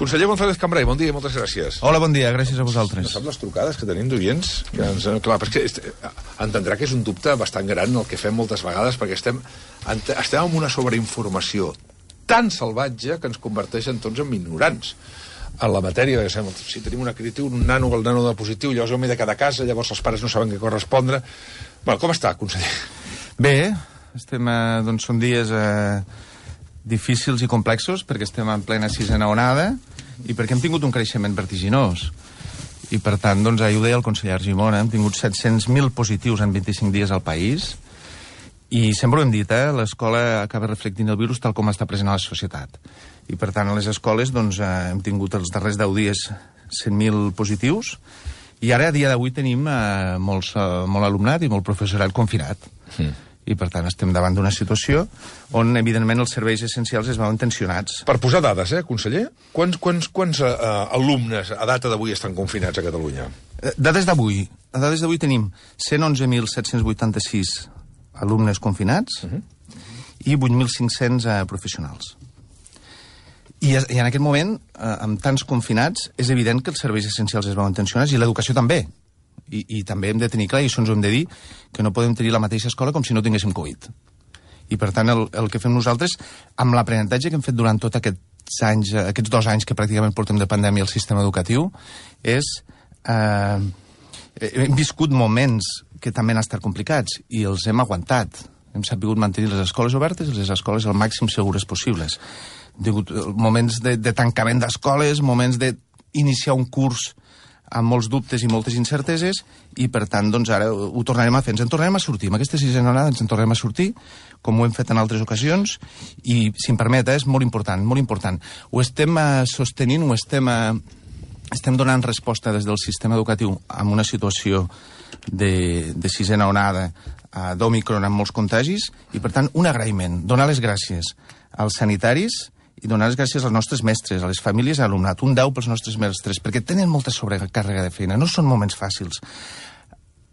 Conseller González Cambray, bon dia i moltes gràcies. Hola, bon dia, gràcies a vosaltres. No sap les trucades que tenim d'oients? Clar, perquè entendrà que és un dubte bastant gran el que fem moltes vegades, perquè estem en una sobreinformació tan salvatge que ens converteix en tots en ignorants en la matèria. Si tenim una crítica, el nano de positiu, llavors ho m'he de quedar a casa, llavors els pares no saben què correspondre. Bueno, com està, conseller? Bé, estem, doncs són dies difícils i complexos, perquè estem en plena sisena onada i perquè hem tingut un creixement vertiginós. I per tant, doncs, ahir ho deia el conseller Argimon, hem tingut 700.000 positius en 25 dies al país i sempre ho hem dit, l'escola acaba reflectint el virus tal com està present a la societat. I per tant, a les escoles doncs, hem tingut els darrers 10 dies 100.000 positius i ara, a dia d'avui, tenim molt alumnat i molt professorat confinat. I, per tant, estem davant d'una situació on, evidentment, els serveis essencials es veuen tensionats. Per posar dades, conseller, quants alumnes a data d'avui estan confinats a Catalunya? Dades d'avui. A dades d'avui tenim 111.786 alumnes confinats i 8.500 professionals. I en aquest moment, amb tants confinats, és evident que els serveis essencials es veuen tensionats i l'educació també. I també hem de tenir clar, i això ens ho hem de dir, que no podem tenir la mateixa escola com si no tinguéssim Covid. I per tant, el que fem nosaltres, amb l'aprenentatge que hem fet durant tots aquests 2 anys que pràcticament portem de pandèmia al sistema educatiu, és... hem viscut moments que també han estat complicats i els hem aguantat. Hem sabut mantenir les escoles obertes i les escoles al màxim segures possibles. Hem tingut moments de tancament d'escoles, moments d'iniciar un curs amb molts dubtes i moltes incerteses, i per tant, doncs ara ho tornarem a fer. Ens en tornarem a sortir. Amb aquesta sisena onada ens en tornarem a sortir, com ho hem fet en altres ocasions, i, si em permet, és molt important, molt important. Ho estem sostenint, estem donant resposta des del sistema educatiu amb una situació de sisena onada d'Òmicron amb molts contagis, i per tant, un agraïment, donar les gràcies als sanitaris i donar les gràcies als nostres mestres, a les famílies i a l'alumnat. Un 10 pels nostres mestres, perquè tenen molta sobrecàrrega de feina. No són moments fàcils.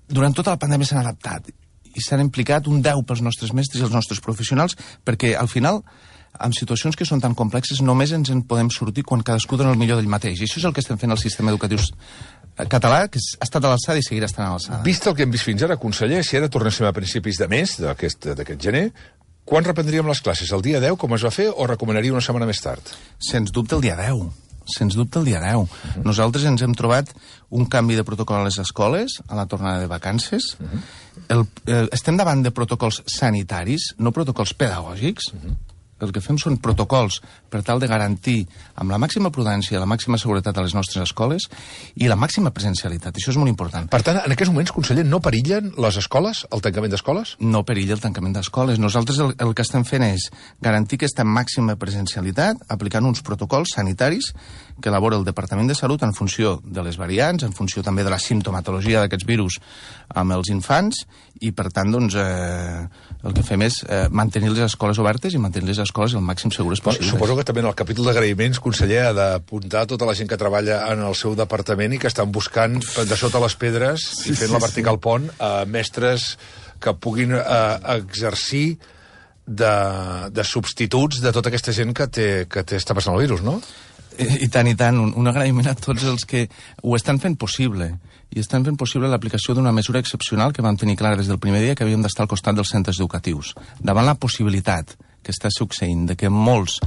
Durant tota la pandèmia s'han adaptat i s'han implicat un 10 pels nostres mestres i els nostres professionals, perquè al final, en situacions que són tan complexes, només ens en podem sortir quan cadascú dona el millor d'ell mateix. I això és el que estem fent al sistema educatiu català, que ha estat a l'alçada i seguirà estant a l'alçada. Vist el que hem vist fins ara, conseller, si ara tornéssim a principis de mes d'aquest gener, quan reprendríem les classes? El dia 10, com es va fer, o recomanaria una setmana més tard? Sens dubte el dia 10. Sens dubte el dia 10. Nosaltres ens hem trobat un canvi de protocol a les escoles, a la tornada de vacances. Estem davant de protocols sanitaris, no protocols pedagògics. El que fem són protocols per tal de garantir amb la màxima prudència, la màxima seguretat a les nostres escoles i la màxima presencialitat. Això és molt important. Per tant, en aquests moments, conseller, no perillen les escoles, el tancament d'escoles? No perilla el tancament d'escoles. Nosaltres el que estem fent és garantir aquesta màxima presencialitat aplicant uns protocols sanitaris que elabora el Departament de Salut en funció de les variants, en funció també de la simptomatologia d'aquests virus amb els infants, i per tant, doncs, el que fem és mantenir les escoles obertes i mantenir les escoles el màxim segures possibles. Suposo que també en el capítol d'agraïments, conseller, ha d'apuntar tota la gent que treballa en el seu departament i que estan buscant de sota les pedres i fent la vertical pont a mestres que puguin exercir de substituts de tota aquesta gent que està passant el virus, no? I tant, un agraïment a tots els que ho estan fent possible, i estan fent possible l'aplicació d'una mesura excepcional que vam tenir clara des del primer dia, que havíem d'estar al costat dels centres educatius. Davant la possibilitat que està succeint de que molts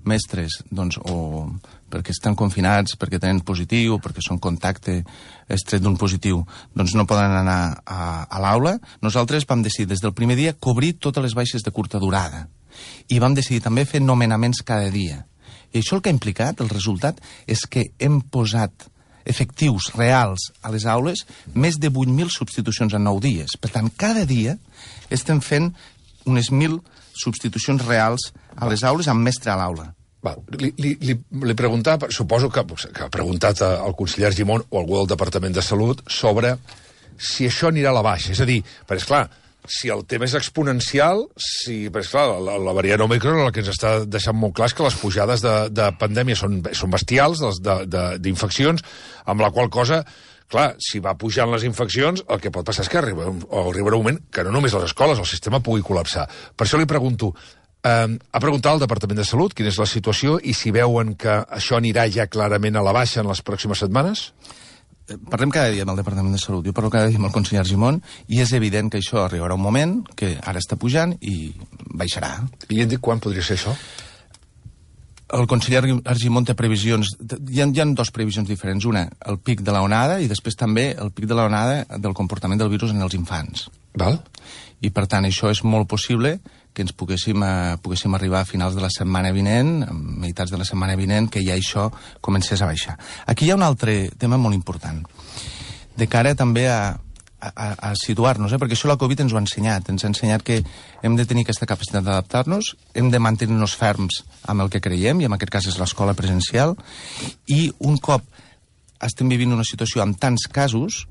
mestres, doncs, o perquè estan confinats, perquè tenen positiu, perquè són contacte estret d'un positiu, doncs no poden anar a l'aula, nosaltres vam decidir des del primer dia cobrir totes les baixes de curta durada. I vam decidir també fer nomenaments cada dia. I això el que ha implicat, el resultat, és que hem posat efectius reals a les aules més de 8.000 substitucions en 9 dies. Per tant, cada dia estem fent unes 1.000 substitucions reals a les aules amb mestre a l'aula. Li preguntava, suposo que ha preguntat al conseller Argimon o algú del Departament de Salut sobre si això anirà a la baixa. És a dir, perquè, esclar, si el tema és exponencial, perquè, esclar, la variant Òmicron el que ens està deixant molt clar és que les pujades de pandèmia són bestials, d'infeccions, amb la qual cosa, clar, si va pujant les infeccions, el que pot passar és que arribarà un moment que no només les escoles, el sistema pugui col·lapsar. Per això li pregunto, Ha preguntat al Departament de Salut quina és la situació i si veuen que això anirà ja clarament a la baixa en les pròximes setmanes? Parlem cada dia amb el Departament de Salut, jo parlo cada dia amb el conseller Argimon, i és evident que això arribarà un moment que ara està pujant i baixarà. I hem dit quan podria ser això? El conseller Argimon té previsions... Hi ha dues previsions diferents. Una, el pic de la onada, i després també el pic de la onada del comportament del virus en els infants. Val. I, per tant, això és molt possible que ens poguéssim arribar a finals de la setmana vinent, a meitats de la setmana vinent, que ja això comencés a baixar. Aquí hi ha un altre tema molt important, de cara també a situar-nos, perquè això la Covid ens ho ha ensenyat. Ens ha ensenyat que hem de tenir aquesta capacitat d'adaptar-nos, hem de mantenir-nos ferms amb el que creiem, i en aquest cas és l'escola presencial, i un cop estem vivint una situació amb tants casos,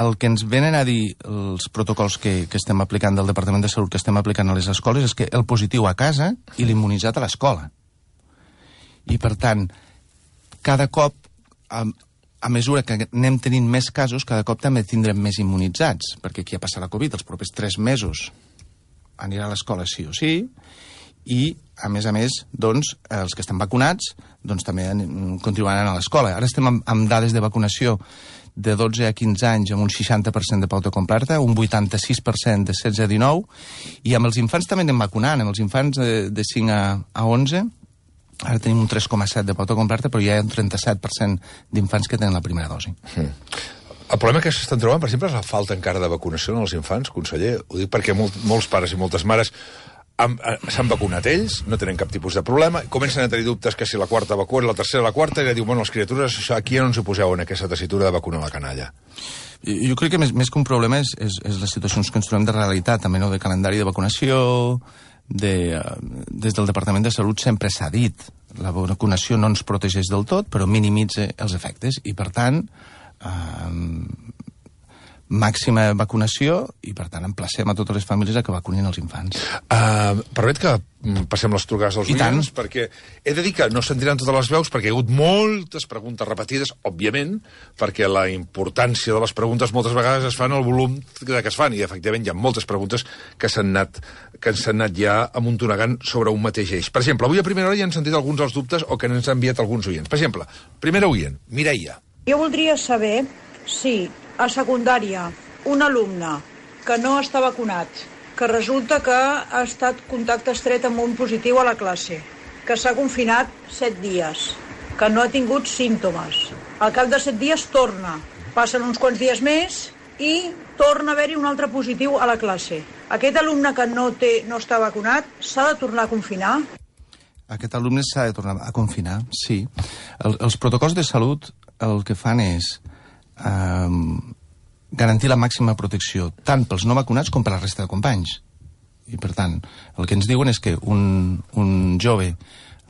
el que ens venen a dir els protocols que estem aplicant del Departament de Salut, que estem aplicant a les escoles, és que el positiu a casa i l'immunitzat a l'escola. I, per tant, cada cop... a mesura que anem tenint més casos, cada cop també tindrem més immunitzats, perquè qui ha passat la Covid els propers 3 mesos anirà a l'escola sí o sí, i, a més, doncs, els que estan vacunats doncs, també continuaran a l'escola. Ara estem amb dades de vacunació de 12 a 15 anys amb un 60% de pauta completa, un 86% de 16 a 19, i amb els infants també anem vacunant, amb els infants de 5 a 11, ara tenim un 3,7 de pauta completa, però hi ha un 37% d'infants que tenen la primera dosi. El problema que s'estan trobant, per exemple, és la falta encara de vacunació en els infants, conseller. Ho dic perquè molts pares i moltes mares s'han vacunat ells, no tenen cap tipus de problema, comencen a tenir dubtes que si la quarta vacuna, la tercera, la quarta, i ja diu, bueno, les criatures, això, aquí ja no ens ho poseu en aquesta tessitura de vacunar la canalla. Jo crec que més que un problema és les situacions que ens trobem de realitat, també, no?, de calendari de vacunació. Des del Departament de Salut sempre s'ha dit la vacunació no ens protegeix del tot, però minimitza els efectes, i per tant màxima vacunació, i per tant emplacem a totes les famílies a que vacunin els infants. Permet que passem les trucades als oients, perquè he de dir que no sentiran totes les veus, perquè hi ha hagut moltes preguntes repetides, òbviament, perquè la importància de les preguntes moltes vegades es fan el volum que es fan, i efectivament hi ha moltes preguntes que s'han anat ja amuntonegant sobre un mateix eix. Per exemple, avui a primera hora ja han sentit alguns dels dubtes o que ens han enviat alguns oients. Per exemple, primera oient, Mireia. Jo voldria saber si a secundària un alumne que no està vacunat, que resulta que ha estat contacte estret amb un positiu a la classe, que s'ha confinat 7 dies, que no ha tingut símptomes, al cap de 7 dies torna, passen uns quants dies més i torna a haver-hi un altre positiu a la classe. Aquest alumne que no està vacunat s'ha de tornar a confinar? Aquest alumne s'ha de tornar a confinar, sí. Els protocols de salut el que fan és garantir la màxima protecció tant pels no vacunats com per la resta de companys. I, per tant, el que ens diuen és que un jove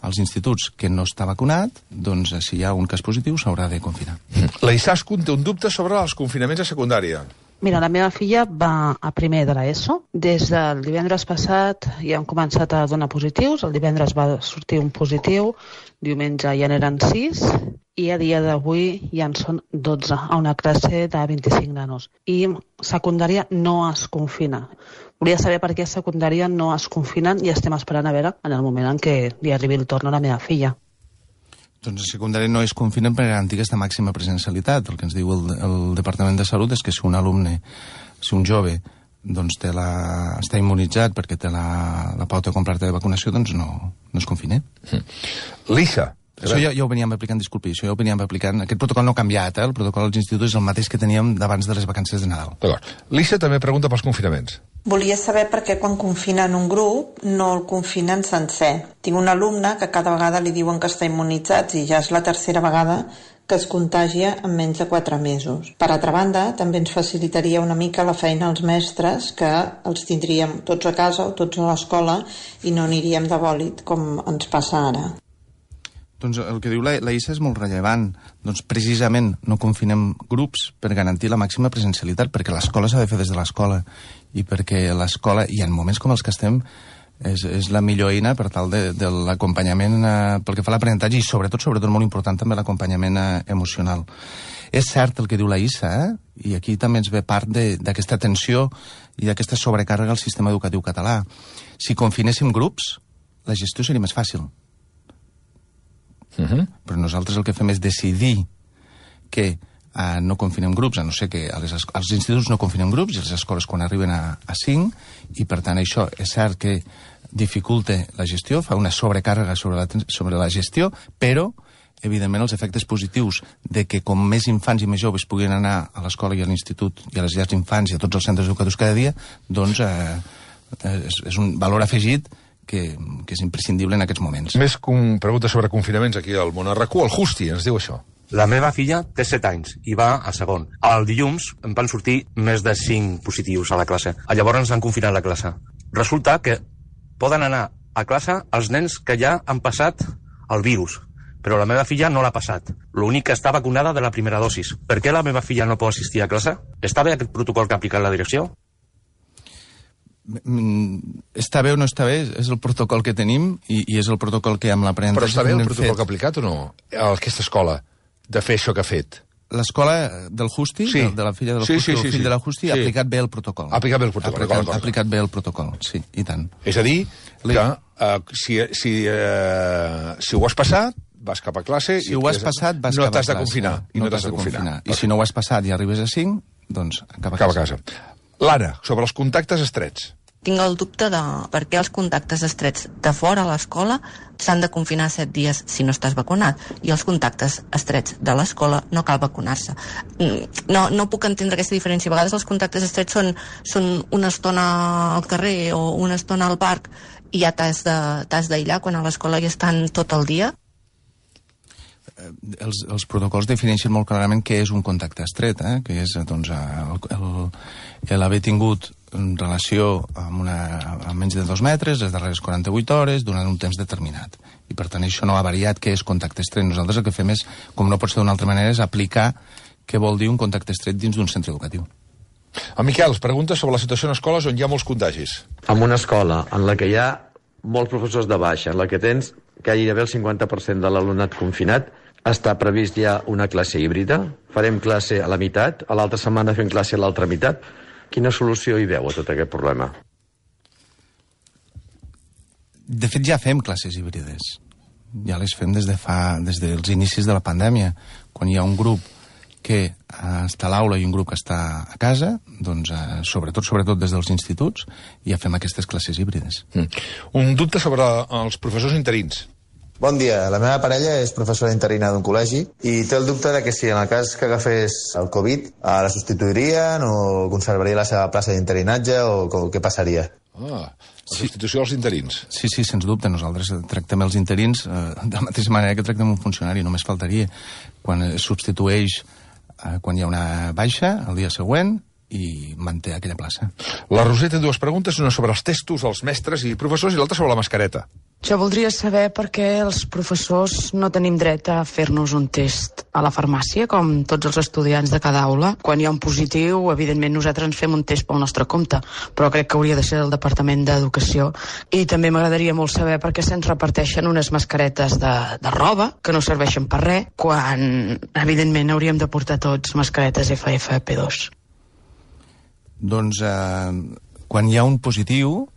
als instituts que no està vacunat, doncs, si hi ha un cas positiu, s'haurà de confinar. La Izaskun té un dubte sobre els confinaments a secundària. Mira, la meva filla va a primer de l'ESO. Des del divendres passat ja han començat a donar positius. El divendres va sortir un positiu, diumenge ja n'eren 6, i a dia d'avui ja en són 12, a una classe de 25 nanos. I secundària no es confina. Volia saber per què a secundària no es confinen i estem esperant a veure en el moment en què li arribi el torn a la meva filla. Doncs a secundària no es confinen per garantir aquesta màxima presencialitat. El que ens diu el Departament de Salut és que si un alumne, si un jove, doncs està immunitzat perquè té la pauta completa de vacunació, doncs no es confina. Lisa. Això ja ho veníem aplicant, disculpi, aquest protocol no ha canviat, el protocol dels instituts és el mateix que teníem d'abans de les vacances de Nadal. D'acord. Lisa també pregunta pels confinaments. Volia saber per què quan confinen un grup no el confinen sencer. Tinc un alumne que cada vegada li diuen que està immunitzat i ja és la tercera vegada que es contagia en menys de 4 mesos. Per altra banda, també ens facilitaria una mica la feina als mestres, que els tindríem tots a casa o tots a l'escola i no aniríem de bòlit com ens passa ara. Doncs el que diu la Issa és molt rellevant. Doncs precisament no confinem grups per garantir la màxima presencialitat, perquè l'escola s'ha de fer des de l'escola, i perquè l'escola, i en moments com els que estem, és la millor eina per tal de l'acompanyament pel que fa a l'aprenentatge i sobretot molt important també l'acompanyament emocional. És cert el que diu la Issa, i aquí també ens ve part d'aquesta tensió i d'aquesta sobrecàrrega al sistema educatiu català. Si confinéssim grups, la gestió seria més fàcil. Però nosaltres el que fem és decidir que no confinem grups, a no ser que als instituts no confinem grups i a les escoles quan arriben a 5, i per tant això és cert que dificulta la gestió, fa una sobrecàrrega sobre la gestió, però evidentment els efectes positius de que com més infants i més joves puguin anar a l'escola i a l'institut i a les llars d'infants i a tots els centres educatius cada dia, doncs és un valor afegit que és imprescindible en aquests moments. Més preguntes sobre confinaments aquí al Món RQ. El Justi ens diu això. La meva filla té 7 anys i va a segon. El dilluns em van sortir més de 5 positius a la classe. Llavors ens han confinat la classe. Resulta que poden anar a classe els nens que ja han passat el virus, però la meva filla no l'ha passat. L'únic que està vacunada de la primera dosis. Per què la meva filla no pot assistir a classe? Està bé aquest protocol que ha aplicat la direcció? Està bé o no està bé, és el protocol que tenim i és el protocol que amb l'aprenentatge... Però està bé el protocol que ha aplicat o no? A aquesta escola, de fer això que ha fet? L'escola del Justi, sí. de la filla del Justi, el fill de la Justi, ha aplicat bé el protocol. Ha aplicat bé el protocol. Ha aplicat bé el protocol, sí, i tant. És a dir, que si ho has passat, vas cap a classe... Si ho has passat, vas cap a classe. No t'has de confinar. No t'has de confinar. I si no ho has passat i arribes a 5, doncs cap a casa. L'Anna, sobre els contactes estrets. Tinc el dubte de per què els contactes estrets de fora a l'escola s'han de confinar 7 dies si no estàs vacunat i els contactes estrets de l'escola no cal vacunar-se. No puc entendre aquesta diferència. A vegades els contactes estrets són una estona al carrer o una estona al parc i ja t'has d'aïllar quan a l'escola ja estan tot el dia. Els protocols defineixen molt clarament què és un contacte estret, que és doncs, l'haver tingut relació amb menys de 2 metres les darreres 48 hores durant un temps determinat. I per tant això no ha variat què és contacte estret. Nosaltres el que fem és, com no pot ser d'una altra manera, és aplicar què vol dir un contacte estret dins d'un centre educatiu. En Miquel, pregunta sobre la situació en escoles on hi ha molts contagis. En una escola en la que hi ha molts professors de baixa, en la que tens gairebé el 50% de l'alumnat confinat, està previst ja una classe híbrida. Farem classe a la meitat, a l'altra setmana fem classe a l'altra meitat. Quina solució hi veu a tot aquest problema? De fet, ja fem classes híbrides. Ja les fem des dels inicis de la pandèmia. Quan hi ha un grup que està a l'aula i un grup que està a casa, doncs sobretot des dels instituts, ja fem aquestes classes híbrides. Un dubte sobre els professors interins. Bon dia, la meva parella és professora interina d'un col·legi i té el dubte de que si en el cas que agafés el Covid la substituirien o conservaria la seva plaça d'interinatge o què passaria? La substitució dels interins. Sí, sens dubte. Nosaltres tractem els interins de la mateixa manera que tractem un funcionari, només faltaria. Quan es substitueix, quan hi ha una baixa, el dia següent, i manté aquella plaça. La Roser té 2 preguntes, una sobre els testos dels mestres i professors i l'altra sobre la mascareta. Jo voldria saber per què els professors no tenim dret a fer-nos un test a la farmàcia, com tots els estudiants de cada aula. Quan hi ha un positiu, evidentment nosaltres ens fem un test pel nostre compte, però crec que hauria de ser del Departament d'Educació. I també m'agradaria molt saber per què se'ns reparteixen unes mascaretes de roba, que no serveixen per res, quan evidentment hauríem de portar tots mascaretes FFP2. Doncs quan hi ha un positiu,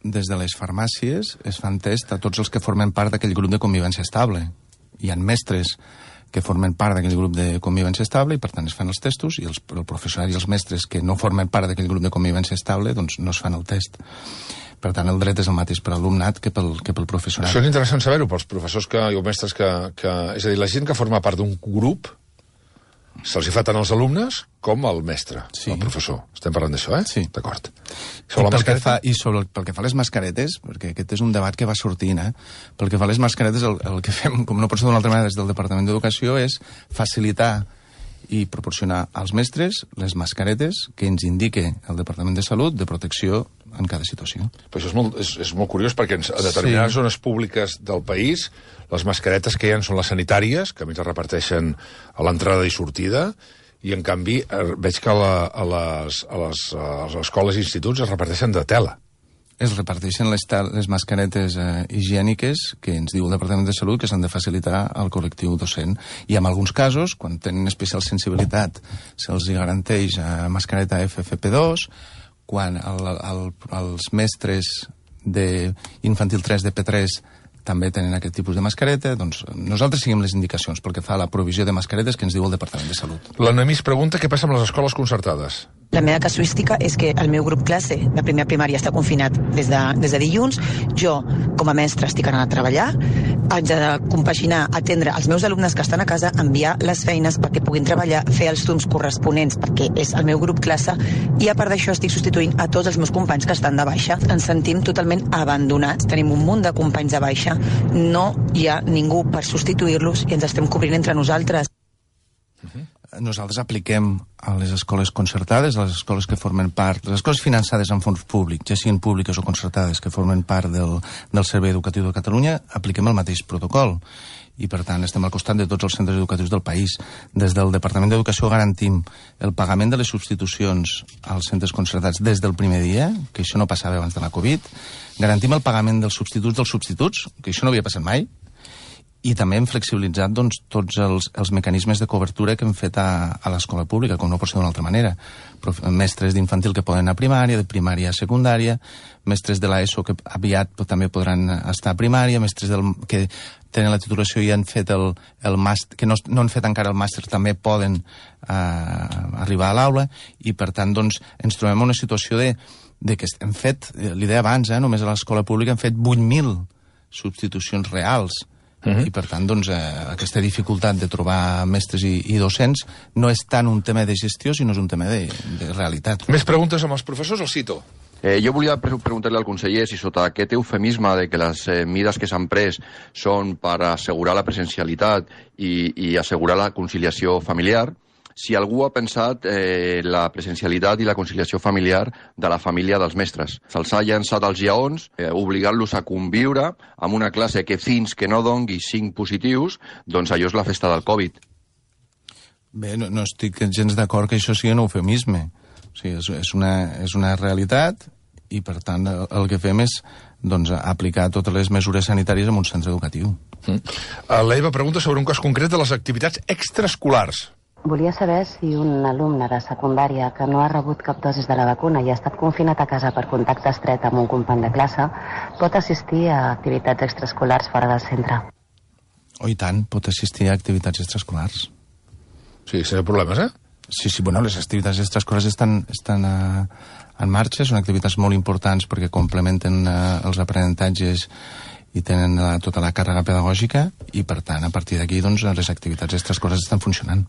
des de les farmàcies es fan test a tots els que formen part d'aquell grup de convivència estable. Hi ha mestres que formen part d'aquell grup de convivència estable i per tant es fan els testos i el professorat i els mestres que no formen part d'aquell grup de convivència estable doncs no es fan el test. Per tant, el dret és el mateix per l'alumnat que pel professorat. Això és interessant saber-ho pels professors o mestres que... És a dir, la gent que forma part d'un grup se'ls hi fa tant als alumnes com al mestre, el professor. Estem parlant d'això, Sí. D'acord. Pel que fa a les mascaretes, perquè aquest és un debat que va sortint, pel que fa a les mascaretes, el que fem, com no pot ser d'una altra manera des del Departament d'Educació, és facilitar i proporcionar als mestres les mascaretes que ens indique el Departament de Salut de protecció en cada situació. Però això és molt curiós perquè a determinades zones públiques del país les mascaretes que hi ha són les sanitàries, que a més es reparteixen a l'entrada i sortida, i en canvi veig que a les escoles i instituts es reparteixen de tela. es reparteixen les mascaretes higièniques que ens diu el Departament de Salut que s'han de facilitar al col·lectiu docent. I en alguns casos, quan tenen especial sensibilitat, se'ls garanteix mascareta FFP2, quan els mestres d'infantil 3 de P3 també tenen aquest tipus de mascareta, doncs nosaltres seguim les indicacions pel que fa a la provisió de mascaretes que ens diu el Departament de Salut. La Noemí es pregunta què passa amb les escoles concertades. La meva casuística és que el meu grup classe de primer primària està confinat des de dilluns. Jo, com a mestre, estic anant a treballar. Haig de compaginar, atendre els meus alumnes que estan a casa, enviar les feines perquè puguin treballar, fer els Zooms corresponents perquè és el meu grup classe, i a part d'això estic substituint a tots els meus companys que estan de baixa. Ens sentim totalment abandonats. Tenim un munt de companys de baixa. No hi ha ningú per substituir-los i ens estem cobrint entre nosaltres. Nosaltres apliquem a les escoles concertades, a les escoles que formen part, les escoles finançades amb fons públics, ja siguin públiques o concertades, que formen part del Servei Educatiu de Catalunya, apliquem el mateix protocol. I, per tant, estem al costat de tots els centres educatius del país. Des del Departament d'Educació garantim el pagament de les substitucions als centres concertats des del primer dia, que això no passava abans de la Covid. Garantim el pagament dels substituts, que això no havia passat mai. I també hem flexibilitzat tots els mecanismes de cobertura que hem fet a l'escola pública, com no pot ser d'una altra manera. Mestres d'infantil que poden anar a primària, de primària a secundària, mestres de l'ESO que aviat també podran estar a primària, mestres que tenen la titulació i han fet el màster, que no han fet encara el màster, també poden arribar a l'aula, i per tant ens trobem en una situació de que hem fet, l'hi deia abans, només a l'escola pública hem fet 8.000 substitucions reals. I per tant, aquesta dificultat de trobar mestres i docents no és tant un tema de gestió, sinó és un tema de realitat. Més preguntes amb els professors, el cito. Jo volia preguntar-li al conseller si sota aquest eufemisme de que les mides que s'han pres són per assegurar la presencialitat i assegurar la conciliació familiar, si algú ha pensat la presencialitat i la conciliació familiar de la família dels mestres. Se'ls ha llançat als lleons, obligant-los a conviure amb una classe que fins que no dongui 5 positius, doncs allò és la festa del Covid. Bé, no estic gens d'acord que això sigui un eufemisme. O sigui, és una realitat i, per tant, el que fem és aplicar totes les mesures sanitàries en un centre educatiu. La Eva pregunta sobre un cas concret de les activitats extraescolars. Volia saber si un alumne de secundària que no ha rebut cap dosis de la vacuna i ha estat confinat a casa per contacte estret amb un company de classe pot assistir a activitats extraescolars fora del centre. Oh, i tant, pot assistir a activitats extraescolars. Sí, sense problemes, Sí, bueno, les activitats extraescolars estan en marxa, són activitats molt importants perquè complementen els aprenentatges i tenen tota la càrrega pedagògica i, per tant, a partir d'aquí, les activitats extraescolars estan funcionant.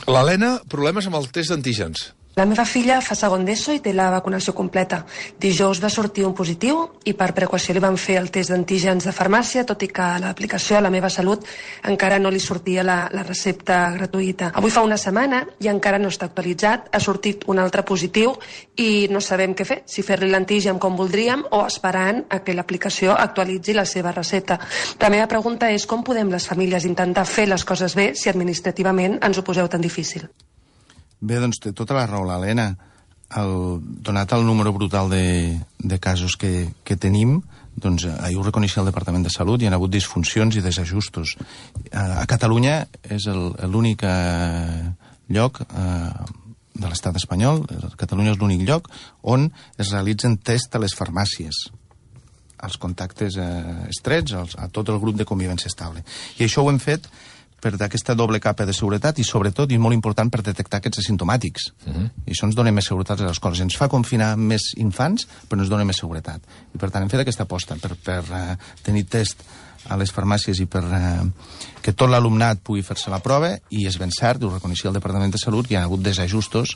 L'Helena, problemes amb el test d'antígens. La meva filla fa segon d'ESO i té la vacunació completa. Dijous va sortir un positiu i per precaució li van fer el test d'antígens de farmàcia, tot i que a l'aplicació a La Meva Salut encara no li sortia la recepta gratuïta. Avui fa una setmana i encara no està actualitzat, ha sortit un altre positiu i no sabem què fer, si fer-li l'antígen com voldríem o esperant a que l'aplicació actualitzi la seva recepta. La meva pregunta és com podem les famílies intentar fer les coses bé si administrativament ens ho poseu tan difícil? Bé, té tota la raó l'Helena. Donat el número brutal de casos que tenim, ahir ho reconeixia el Departament de Salut, hi ha hagut disfuncions i desajustos. A Catalunya és l'únic lloc de l'estat espanyol, Catalunya és l'únic lloc on es realitzen tests a les farmàcies, als contactes estrets, a tot el grup de convivència estable. I això ho hem fet per aquesta doble capa de seguretat i, sobretot, i molt important, per detectar aquests asimptomàtics. I això ens dona més seguretat a les escoles. Ens fa confinar més infants, però ens dona més seguretat. I, per tant, hem fet aquesta aposta per tenir test a les farmàcies i per que tot l'alumnat pugui fer-se la prova, i és ben cert, ho reconeixia el Departament de Salut, hi ha hagut desajustos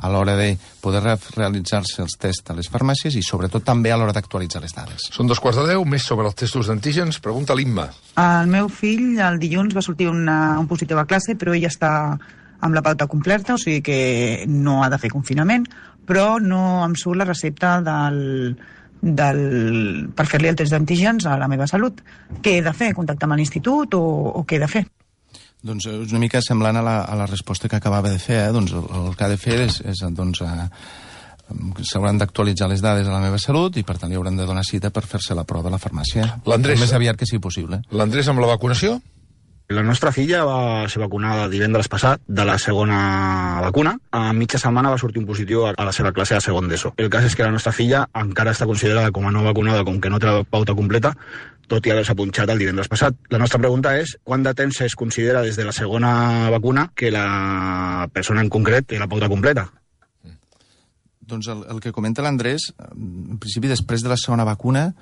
a l'hora de poder realitzar-se els tests a les farmàcies i, sobretot, també a l'hora d'actualitzar les dades. Són 2:15, més sobre els testos d'antígens. Pregunta l'Imma. El meu fill, el dilluns, va sortir un positiu a classe, però ell està amb la pauta completa, o sigui que no ha de fer confinament, però no em surt la recepta per fer-li el test d'antígens a La Meva Salut. Què he de fer? Contactar amb l'institut o què he de fer? Doncs és una mica semblant a la resposta que acabava de fer. El que ha de fer és s'hauran d'actualitzar les dades a la meva salut i, per tant, li hauran de donar cita per fer-se la prova a la farmàcia. L'Andrés, el més aviat que sigui possible. L'Andrés, amb la vacunació? La nostra filla va ser vacunada divendres passat de la segona vacuna. A mitja setmana va sortir un positiu a la seva classe de segon d'ESO. El cas és que la nostra filla encara està considerada com a no vacunada, com que no té la pauta completa, tot i haver-se punxat el divendres passat. La nostra pregunta és quant de temps es considera des de la segona vacuna que la persona en concret té la pauta completa? Doncs el que comenta l'Andrés, en principi, després de la segona vacuna,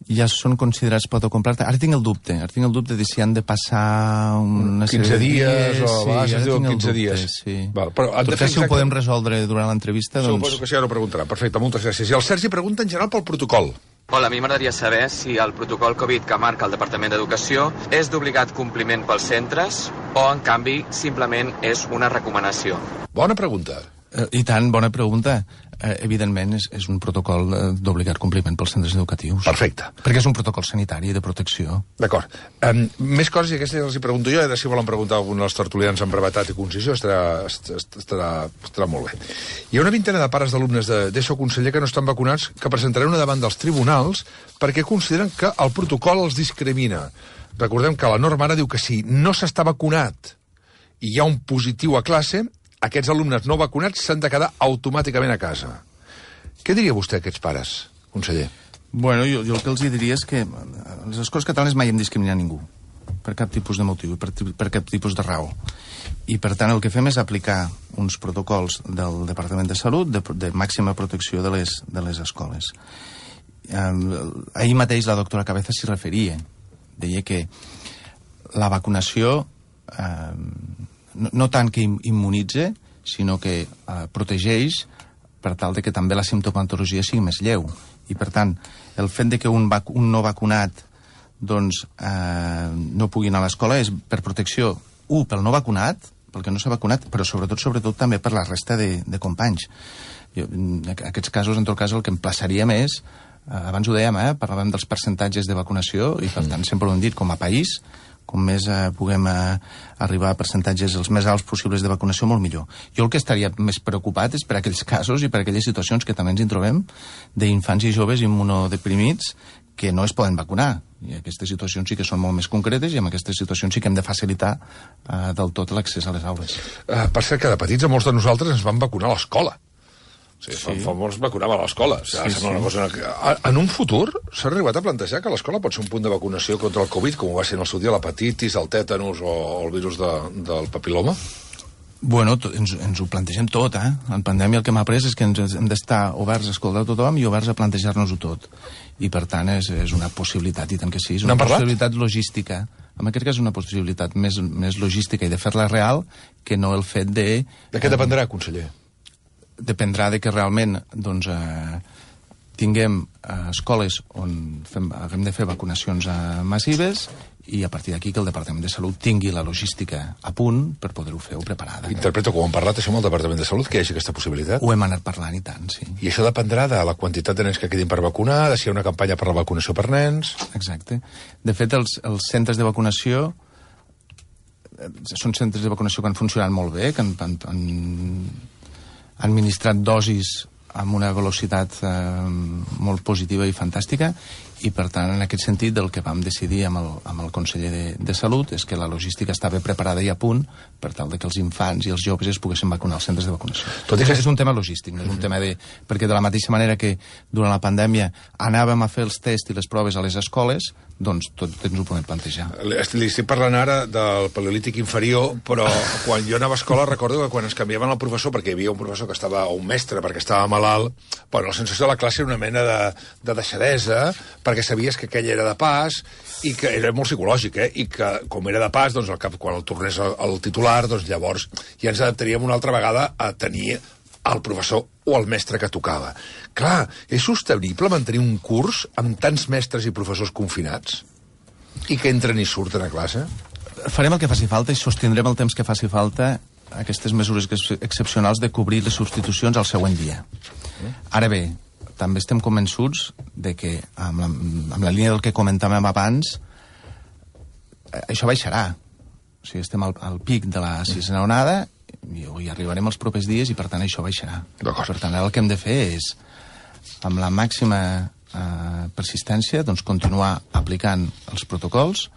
ja són considerats pauta completa. Ara tinc el dubte de si han de passar una 15 dies o sí, es diu 15 dies. Sí. Val, però tot això ho podem resoldre durant l'entrevista. Doncs... Suposo que sí, ara ho preguntarà. Perfecte, moltes gràcies. I el Sergi pregunta en general pel protocol. Hola, a mi m'agradaria saber si el protocol Covid que marca el Departament d'Educació és d'obligat compliment pels centres o, en canvi, simplement és una recomanació. Bona pregunta. I tant, bona pregunta. Evidentment, és un protocol d'obligat compliment pels centres educatius. Perfecte. Perquè és un protocol sanitari de protecció. D'acord. Més coses, i aquestes els hi pregunto jo, i si volen preguntar algun dels tertulians amb brevetat i concisió, estarà molt bé. Hi ha una vintena de pares d'alumnes d'ESO, conseller, que no estan vacunats, que presentaran una demanda als tribunals perquè consideren que el protocol els discrimina. Recordem que la norma ara diu que si no s'està vacunat i hi ha un positiu a classe, aquests alumnes no vacunats s'han de quedar automàticament a casa. Què diria vostè a aquests pares, conseller? Bueno, jo el que els diria és que a les escoles catalanes mai hem discriminat ningú, per cap tipus de motiu, per cap tipus de raó. I, per tant, el que fem és aplicar uns protocols del Departament de Salut de màxima protecció de les escoles. Ahir mateix la doctora Cabeza s'hi referia. Deia que la vacunació... no tant que immunitze, sinó que protegeix per tal de que també la simptomatologia sigui més lleu. I, per tant, el fet de que un no vacunat doncs, no pugui anar a l'escola és per protecció, pel no vacunat, pel que no s'ha vacunat, però sobretot també per la resta de companys. En aquests casos, en tot cas, el que emplaçaria més, abans ho dèiem, parlàvem dels percentatges de vacunació, i per tant sempre ho hem dit, com a país, com més puguem arribar a percentatges els més alts possibles de vacunació, molt millor. Jo el que estaria més preocupat és per aquells casos i per aquelles situacions que també ens hi trobem d'infants i joves immunodeprimits que no es poden vacunar. I aquestes situacions sí que són molt més concretes i en aquestes situacions sí que hem de facilitar del tot l'accés a les aules. Per cert, que de petits a molts de nosaltres ens van vacunar a l'escola. Sí. Fa molts vacunàvem a l'escola. Una cosa... En un futur s'ha arribat a plantejar que l'escola pot ser un punt de vacunació contra el Covid, com ho va ser en el seu dia l'hepatitis, el tètanus o el virus del papiloma? Bueno, ens ho plantegem tot, En pandèmia el que m'ha après és que hem d'estar oberts a escoltar tothom i oberts a plantejar-nos-ho tot. I, per tant, és una possibilitat, i tant que sí. És una possibilitat logística. En aquest cas és una possibilitat més logística i de fer-la real que no el fet de... De què dependrà, conseller? Dependrà de que realment doncs, tinguem escoles on haguem de fer vacunacions massives i a partir d'aquí que el Departament de Salut tingui la logística a punt per poder-ho fer preparada. Interpreto que ho hem parlat això amb el Departament de Salut, que hi hagi aquesta possibilitat? Ho hem anat parlant, i tant, sí. I això dependrà de la quantitat de nens que quedin per vacunar, de si hi ha una campanya per la vacunació per nens... Exacte. De fet, els centres de vacunació són centres de vacunació que han funcionat molt bé, que han administrat dosis amb una velocitat molt positiva i fantàstica, i per tant en aquest sentit el que vam decidir amb el conseller de Salut és que la logística estava preparada i a punt per tal de que els infants i els joves es poguessin vacunar als centres de vacunació. Tot i que és un tema logístic, no és un tema de... perquè de la mateixa manera que durant la pandèmia anàvem a fer els tests i les proves a les escoles, doncs tot ens ho podem plantejar. Li estic parlant ara del paleolític inferior, però quan jo anava a escola recordo que quan ens canviaven el professor, perquè hi havia un professor que estava, o un mestre perquè estava malalt, bueno, la sensació de la classe era una mena de deixadesa, perquè sabies que aquell era de pas, i que era molt psicològic, i que com era de pas, doncs al cap, quan el tornés al titular, doncs llavors ja ens adaptaríem una altra vegada a tenir el professor o el mestre que tocava. Clar, és sostenible mantenir un curs amb tants mestres i professors confinats i que entren i surten a classe? Farem el que faci falta i sostindrem el temps que faci falta aquestes mesures excepcionals de cobrir les substitucions al següent dia. Ara bé, també estem convençuts de que, amb la línia del que comentàvem abans, això baixarà. O sigui, estem al pic de la sisena onada, hi arribarem els propers dies i, per tant, això baixarà. Per tant, el que hem de fer és, amb la màxima persistència, doncs, continuar aplicant els protocols,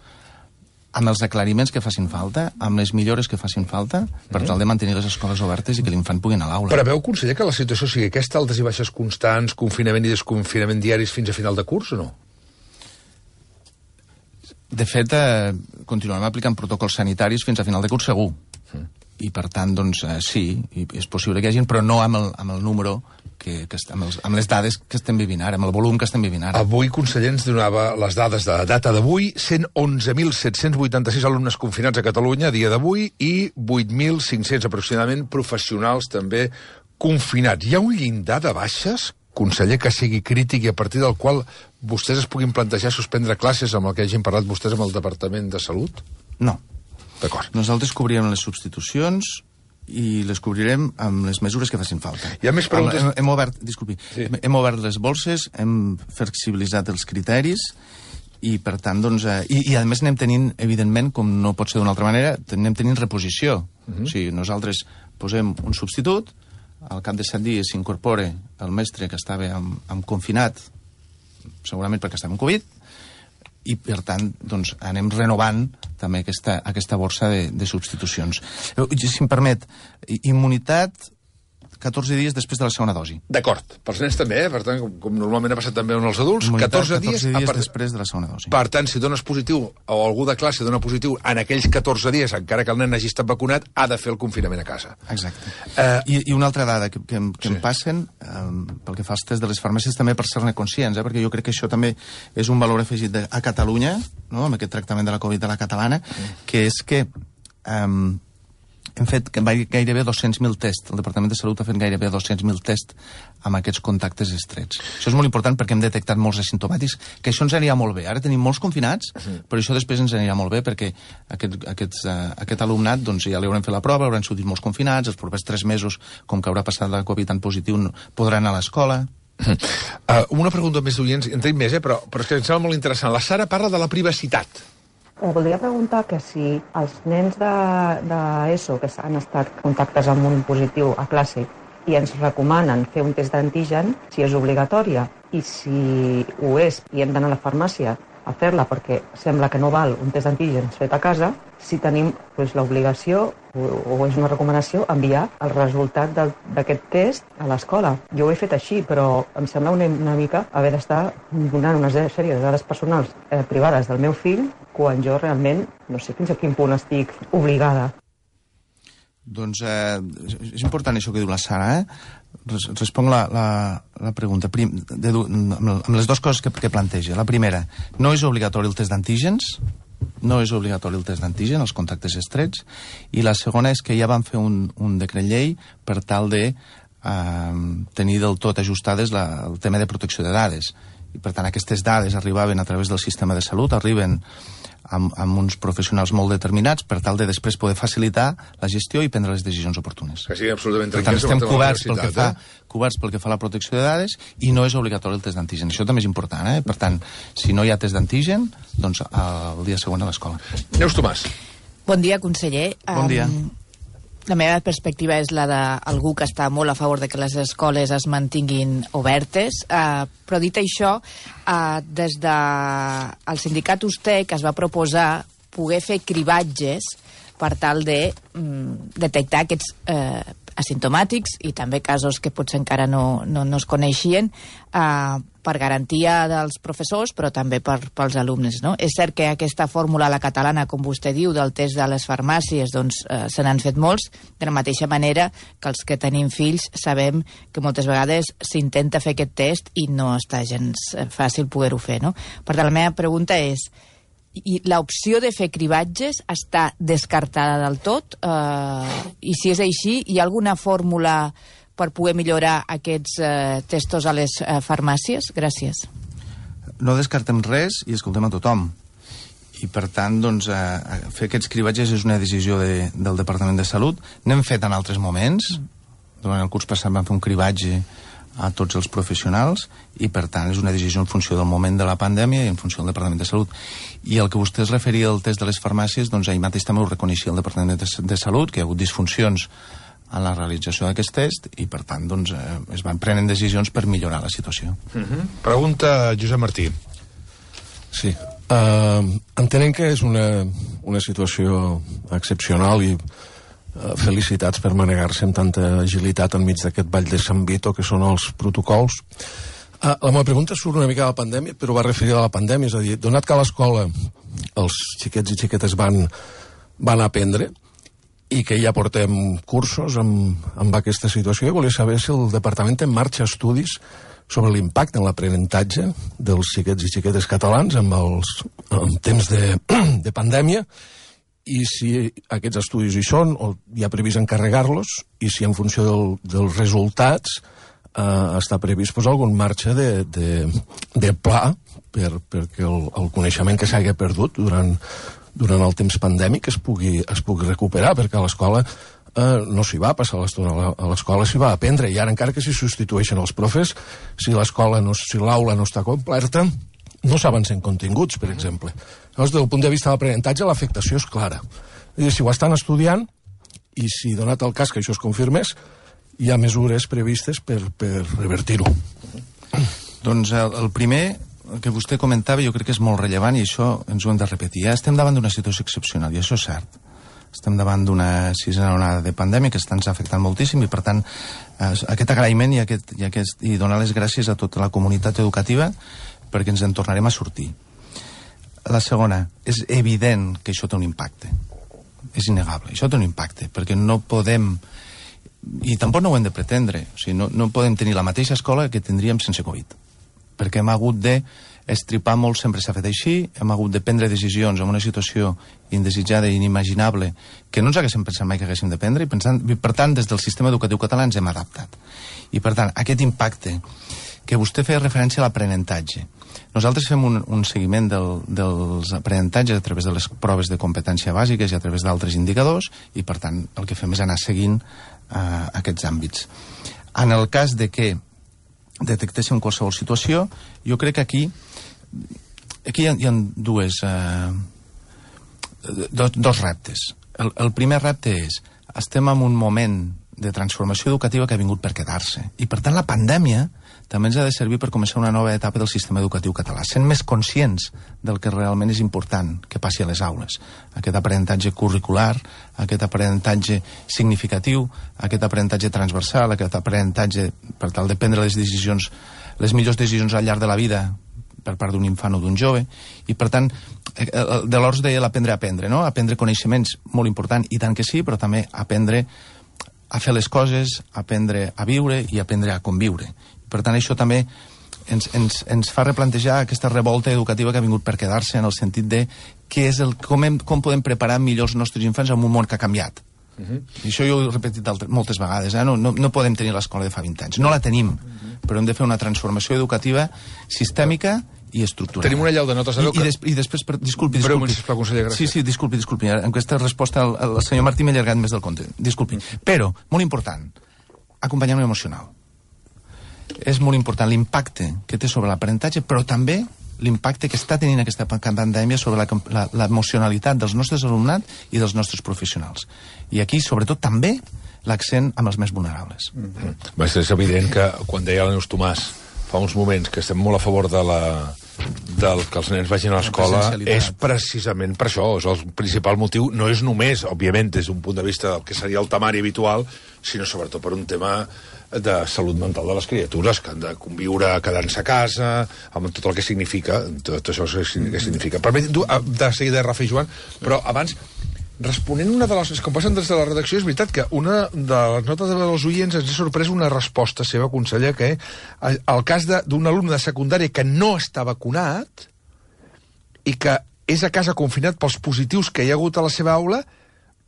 amb els aclariments que facin falta, amb les millores que facin falta, per tal de mantenir les escoles obertes i que l'infant pugui anar a l'aula. Preveu, conseller, que la situació sigui aquesta, altes i baixes constants, confinament i desconfinament diaris fins a final de curs, o no? De fet, continuarem aplicant protocols sanitaris fins a final de curs segur. I, per tant, doncs, sí, és possible que hi hagi, però no amb el número, amb les dades que estem vivint ara, amb el volum que estem vivint ara. Avui, conseller, ens donava les dades de data d'avui, 111.786 alumnes confinats a Catalunya a dia d'avui i 8.500 aproximadament professionals també confinats. Hi ha un llindar de baixes, conseller, que sigui crític i a partir del qual vostès es puguin plantejar suspendre classes amb el que hagin parlat vostès amb el Departament de Salut? No. D'acord. Nosaltres cobrirem les substitucions i les cobrirem amb les mesures que facin falta. Hi ha més preguntes? Hem obert les bolses, hem flexibilitzat els criteris i, per tant, doncs... I a més anem tenint, evidentment, com no pot ser d'una altra manera, anem tenint reposició. O sigui, nosaltres posem un substitut, al cap de 7 dies s'incorpora el mestre que estava amb confinat, segurament perquè estava amb Covid, i, per tant, doncs, anem renovant també aquesta borsa de substitucions. Si em permet, immunitat 14 dies després de la segona dosi. D'acord. Pels nens també, per tant, com normalment ha passat també amb els adults, 14 dies després de la segona dosi. Per tant, si dones positiu o algú de classe dona positiu en aquells 14 dies, encara que el nen hagi estat vacunat, ha de fer el confinament a casa. Exacte. I una altra dada que em passen, pel que fa als tests de les farmàcies, també per ser-ne conscients, perquè jo crec que això també és un valor afegit a Catalunya, no?, amb aquest tractament de la Covid a la catalana, que és que hem fet gairebé 200.000 tests. El Departament de Salut ha fet gairebé 200.000 tests amb aquests contactes estrets. Això és molt important perquè hem detectat molts asimptomàtics, que això ens anirà molt bé. Ara tenim molts confinats, però això després ens anirà molt bé perquè aquest alumnat, doncs, ja li haurem fet la prova, hauran sortit molts confinats, els propers 3 mesos, com que haurà passat la Covid tan positiu, podran anar a l'escola. Una pregunta més d'oients, en tenim més, però és que em sembla molt interessant. La Sara parla de la privacitat. Voldria preguntar que si els nens d'ESO que han estat contactes amb un positiu a classe i ens recomanen fer un test d'antigen, si és obligatòria, i si ho és i hem d'anar a la farmàcia a fer-la perquè sembla que no val un test d'antígens fet a casa, si tenim l'obligació o és una recomanació enviar el resultat d'aquest test a l'escola. Jo ho he fet així, però em sembla una mica haver d'estar donant una sèrie de dades personals privades del meu fill quan jo realment no sé fins a quin punt estic obligada. Doncs és important això que diu la Sara, Responc la pregunta amb les dues coses que planteja. La primera, no és obligatori el test d'antígens, els contactes estrets, i la segona és que ja van fer un decret llei per tal de tenir del tot ajustades el tema de protecció de dades. I, per tant, aquestes dades arribaven a través del sistema de salut, arriben amb uns professionals molt determinats per tal de després poder facilitar la gestió i prendre les decisions oportunes. Que sigui absolutament per tant, estem coberts pel que fa a la protecció de dades i no és obligatori el test d'antigen. Això també és important, Per tant, si no hi ha test d'antigen, doncs el dia següent a l'escola. Neus Tomàs. Bon dia, conseller. Bon dia. La meva perspectiva és la d'algú que està molt a favor de que les escoles es mantinguin obertes, però dit això, des del sindicat USTEC es va proposar poder fer cribatges per tal de detectar aquests asimptomàtics i també casos que potser encara no es coneixien, per garantia dels professors, però també pels alumnes, no? És cert que aquesta fórmula a la catalana, com vostè diu, del test de les farmàcies, doncs se n'han fet molts, de la mateixa manera que els que tenim fills sabem que moltes vegades s'intenta fer aquest test i no està gens fàcil poder-ho fer, no? Per tant, la meva pregunta és, i l'opció de fer cribatges està descartada del tot? I si és així, hi ha alguna fórmula per poder millorar aquests testos a les farmàcies? Gràcies. No descartem res i escoltem a tothom. I, per tant, doncs, fer aquests cribatges és una decisió del Departament de Salut. N'hem fet en altres moments. Durant el curs passat vam fer un cribatge a tots els professionals i, per tant, és una decisió en funció del moment de la pandèmia i en funció del Departament de Salut. I el que vostè es referia al test de les farmàcies, doncs ahir mateix també ho reconeixia el Departament de Salut, que hi ha hagut disfuncions en la realització d'aquest test i, per tant, doncs, es van prenent decisions per millorar la situació. Pregunta Josep Martí. Sí. Entenem que és una situació excepcional i felicitats per manegar-se amb tanta agilitat enmig d'aquest ball de Sant Vito que són els protocols. La meva pregunta surt una mica de la pandèmia, però va referida a la pandèmia, és a dir, donat que a l'escola els xiquets i xiquetes van aprendre i que ja portem cursos amb aquesta situació, volia saber si el Departament té en marxa estudis sobre l'impacte en l'aprenentatge dels xiquets i xiquetes catalans en temps de pandèmia, i si aquests estudis hi són o hi ha previst encarregar-los, i si en funció dels resultats està previst algun marge de pla perquè el coneixement que s'hagi perdut durant el temps pandèmic es pugui recuperar, perquè a l'escola no s'hi va passar l'estona, a l'escola s'hi va aprendre, i ara encara que s'hi substitueixen els profes, si l'aula no està completa, no s'avancen continguts, per exemple. Llavors, des del punt de vista de l'aprenentatge, l'afectació és clara. És dir, si ho estan estudiant, i si donat el cas que això es confirmés, hi ha mesures previstes per revertir-ho. Doncs el primer que vostè comentava jo crec que és molt rellevant, i això ens ho hem de repetir. Ja estem davant d'una situació excepcional, i això és cert. Estem davant d'una sisena onada de pandèmia que està ens afectant moltíssim, i per tant aquest agraïment i donar les gràcies a tota la comunitat educativa perquè ens en tornarem a sortir. La segona, és evident que això té un impacte. És innegable, això té un impacte, perquè no podem, i tampoc no ho hem de pretendre, o sigui, no podem tenir la mateixa escola que tindríem sense Covid, perquè hem hagut d'estripar molt, sempre s'ha fet així, hem hagut de prendre decisions en una situació indesitjada i inimaginable que no ens haguéssim pensat mai que haguéssim de prendre, i per tant, des del sistema educatiu català ens hem adaptat. I per tant, aquest impacte que vostè feia referència a l'aprenentatge. Nosaltres fem un seguiment dels aprenentatges a través de les proves de competència bàsiques i a través d'altres indicadors, i per tant el que fem és anar seguint aquests àmbits. En el cas de que detectéssim qualsevol situació, jo crec que aquí hi ha dos reptes. El primer repte és, estem en un moment de transformació educativa que ha vingut per quedar-se, i per tant la pandèmia també ens ha de servir per començar una nova etapa del sistema educatiu català, sent més conscients del que realment és important que passi a les aules. Aquest aprenentatge curricular, aquest aprenentatge significatiu, aquest aprenentatge transversal, aquest aprenentatge per tal de prendre les millors decisions al llarg de la vida per part d'un infant o d'un jove, i per tant, de l'Ors deia l'aprendre a aprendre, no? Aprendre coneixements, molt important, i tant que sí, però també aprendre a fer les coses, aprendre a viure i aprendre a conviure. Per tant, això també ens fa replantejar aquesta revolta educativa que ha vingut per quedar-se, en el sentit de com podem preparar millor els nostres infants en un món que ha canviat. I això jo ho he repetit moltes vegades, no podem tenir l'escola de fa 20 anys, no la tenim, però hem de fer una transformació educativa sistèmica i estructural. Tenim una llau de notes de veu que... I després, disculpi. Breument, sisplau, conseller, gràcies. Sí, disculpi. En aquesta resposta el senyor Martí m'ha allargat més del compte. Disculpi. Però, molt important, acompanyament emocional. És molt important l'impacte que té sobre l'aprenentatge, però també l'impacte que està tenint aquesta pandèmia sobre l'emocionalitat dels nostres alumnat i dels nostres professionals. I aquí, sobretot, també l'accent amb els més vulnerables. És evident que, quan deia la Neus Tomàs fa uns moments, que estem molt a favor del que els nens vagin a l'escola, és precisament per això. És el principal motiu. No és només, òbviament, des d'un punt de vista del que seria el temari habitual, sinó sobretot per un tema de salut mental de les criatures, que han de conviure quedant-se a casa, amb tot el que significa, tot això que significa. Permetin-ho de seguida, Rafa i Joan, però abans, responent una de les... Com passen des de la redacció, és veritat que una de les notes dels oients ens ha sorprès una resposta seva, conseller, que el cas d'un alumne de secundària que no està vacunat i que és a casa confinat pels positius que hi ha hagut a la seva aula,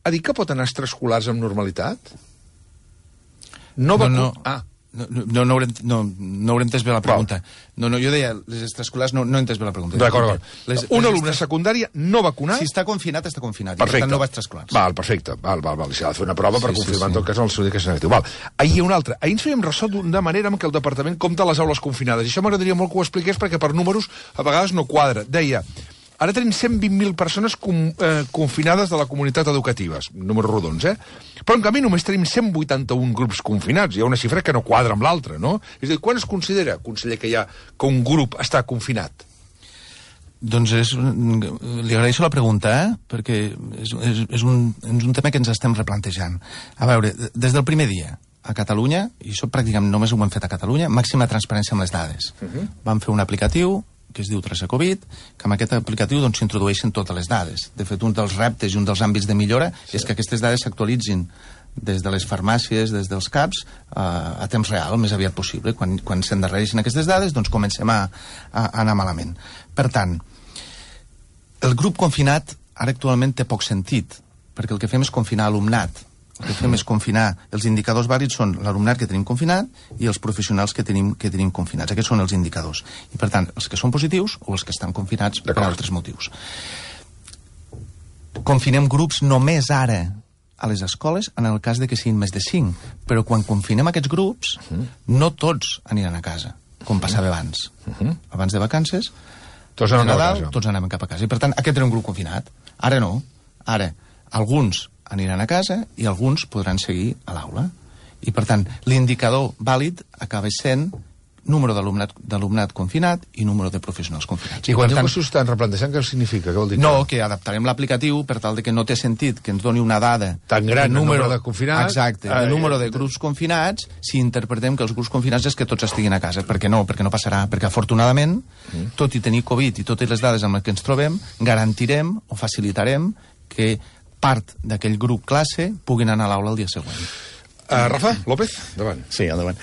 ha dit que pot anar a extraescolars amb normalitat? No. No hauré entès bé la pregunta. No, jo deia, les extraescolars no he entès bé la pregunta. D'acord. Un alumne secundària no vacunat... Si està confinat, està confinat. Perfecte. I per tant no va extraescolars. Val, perfecte. Val. Si ha de fer una prova per confirmar en tot cas el seu que és negatiu. Val. Ahir hi ha un altre. Ahir ens fèiem ressò d'una manera en què el departament compta les aules confinades. I això m'agradaria molt que ho expliqués perquè per números a vegades no quadra. Deia... Ara tenim 120.000 persones confinades de la comunitat educativa, números rodons, Però, en canvi, només tenim 181 grups confinats. Hi ha una xifra que no quadra amb l'altra, no? És a dir, quan es considera, conseller, que un grup està confinat? Doncs li agraeixo la pregunta, perquè és un tema que ens estem replantejant. A veure, des del primer dia, a Catalunya, i això pràcticament només ho hem fet a Catalunya, màxima transparència amb les dades. Vam fer un aplicatiu que es diu Traça Covid, que amb aquest aplicatiu s'introdueixen totes les dades. De fet, un dels reptes i un dels àmbits de millora és que aquestes dades s'actualitzin des de les farmàcies, des dels CAPs, a temps real, el més aviat possible. Quan s'endarrereixen aquestes dades, doncs comencem a anar malament. Per tant, el grup confinat ara actualment té poc sentit, perquè el que fem és confinar alumnat. El que fem és confinar, els indicadors vàlids són l'alumnat que tenim confinat i els professionals que tenim confinats. Aquests són els indicadors. I, per tant, els que són positius o els que estan confinats per altres motius. Confinem grups només ara a les escoles en el cas de que siguin més de 5. Però quan confinem aquests grups, no tots aniran a casa, com passava abans. Abans de vacances, tots anaven cap a casa. I, per tant, aquest era un grup confinat. Ara no. Ara, alguns aniran a casa i alguns podran seguir a l'aula. I, per tant, l'indicador vàlid acaba sent número d'alumnat confinat i número de professionals confinats. I quan diu que s'ho estan replantejant, què significa? Què vol dir? No, que adaptarem l'aplicatiu per tal de que no té sentit que ens doni una dada tan gran, el número de confinats. Exacte, el número de grups confinats, si interpretem que els grups confinats és que tots estiguin a casa. Perquè no passarà. Perquè, afortunadament, tot i tenir Covid i totes les dades amb les que ens trobem, garantirem o facilitarem que part d'aquell grup classe puguin anar a l'aula el dia següent. Rafa López, endavant. Sí, endavant.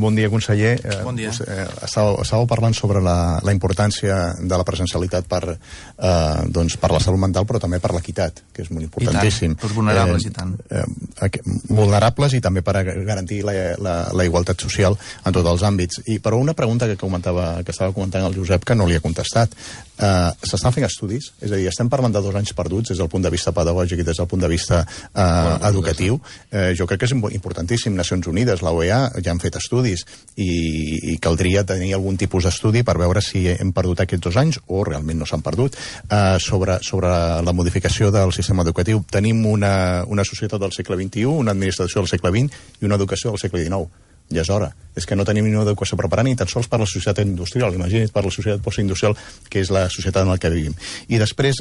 Bon dia, conseller. Bon dia. Estàveu parlant sobre la importància de la presencialitat per la salut mental, però també per l'equitat, que és molt importantíssim. I tant, pels vulnerables, i tant. Vulnerables i també per garantir la igualtat social en tots els àmbits. Però una pregunta que estava comentant el Josep, que no li ha contestat. S'estan fent estudis? És a dir, estem parlant de 2 anys perduts des del punt de vista pedagògic i des del punt de vista educatiu. Jo crec que és importantíssim. Nacions Unides, la OEA, ja han fet estudis i caldria tenir algun tipus d'estudi per veure si hem perdut aquests 2 anys o realment no s'han perdut. Sobre la modificació del sistema educatiu, tenim una societat del segle XXI, una administració del segle XX i una educació del segle XIX. Ja és hora. És que no tenim ni una educació preparada ni tan sols per la societat industrial. Imagina't per la societat postindustrial, que és la societat en la que vivim. I després,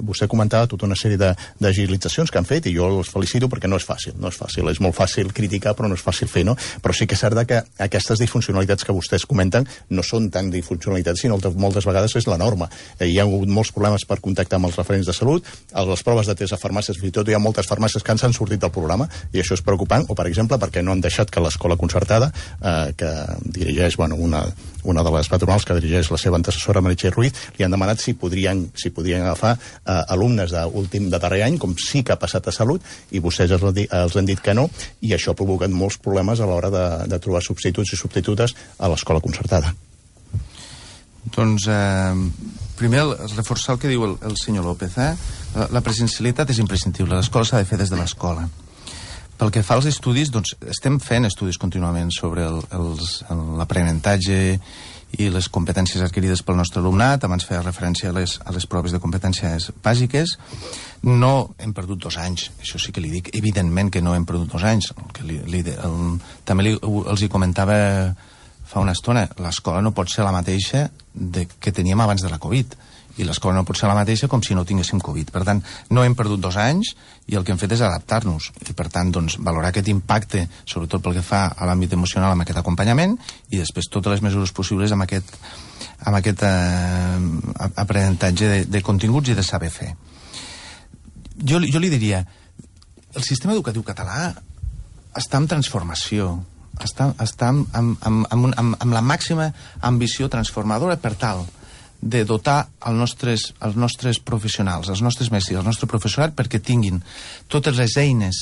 vostè comentava tota una sèrie d'agilitzacions que han fet, i jo els felicito perquè no és fàcil. No és fàcil. És molt fàcil criticar, però no és fàcil fer, no? Però sí que és cert que aquestes disfuncionalitats que vostès comenten no són tan disfuncionalitats, sinó que moltes vegades és la norma. Hi ha hagut molts problemes per contactar amb els referents de salut, a les proves de test a farmàcies, fins i tot hi ha moltes farmàcies que s'han sortit del programa, i això és preocupant, o per exemple, perquè no han deixat que l'escola concertada, que dirigeix una de les patronals que dirigeix la seva antecessora Meritxell Ruiz, li han demanat si podrien agafar alumnes de darrer any, com sí que ha passat a Salut, i vostès els han dit que no, i això ha provocat molts problemes a l'hora de trobar substituts i substitutes a l'escola concertada. Doncs, primer, reforçar el que diu el senyor López. La presencialitat és imprescindible. L'escola s'ha de fer des de l'escola. Pel que fa als estudis, doncs, estem fent estudis contínuament sobre l'aprenentatge i les competències adquirides pel nostre alumnat. Abans feia referència a les proves de competències bàsiques. No hem perdut 2 anys, això sí que li dic. Evidentment que no hem perdut 2 anys. També els hi comentava fa una estona, l'escola no pot ser la mateixa que teníem abans de la Covid. I l'escola no pot ser la mateixa com si no tinguéssim Covid. Per tant, no hem perdut 2 anys i el que hem fet és adaptar-nos. I, per tant, doncs, valorar aquest impacte, sobretot pel que fa a l'àmbit emocional, amb aquest acompanyament, i després totes les mesures possibles amb aquest aprenentatge de continguts i de saber fer. Jo li diria, el sistema educatiu català està en transformació, està amb la màxima ambició transformadora per tal de dotar els nostres professionals, els nostres mestres, el nostre professorat, perquè tinguin totes les eines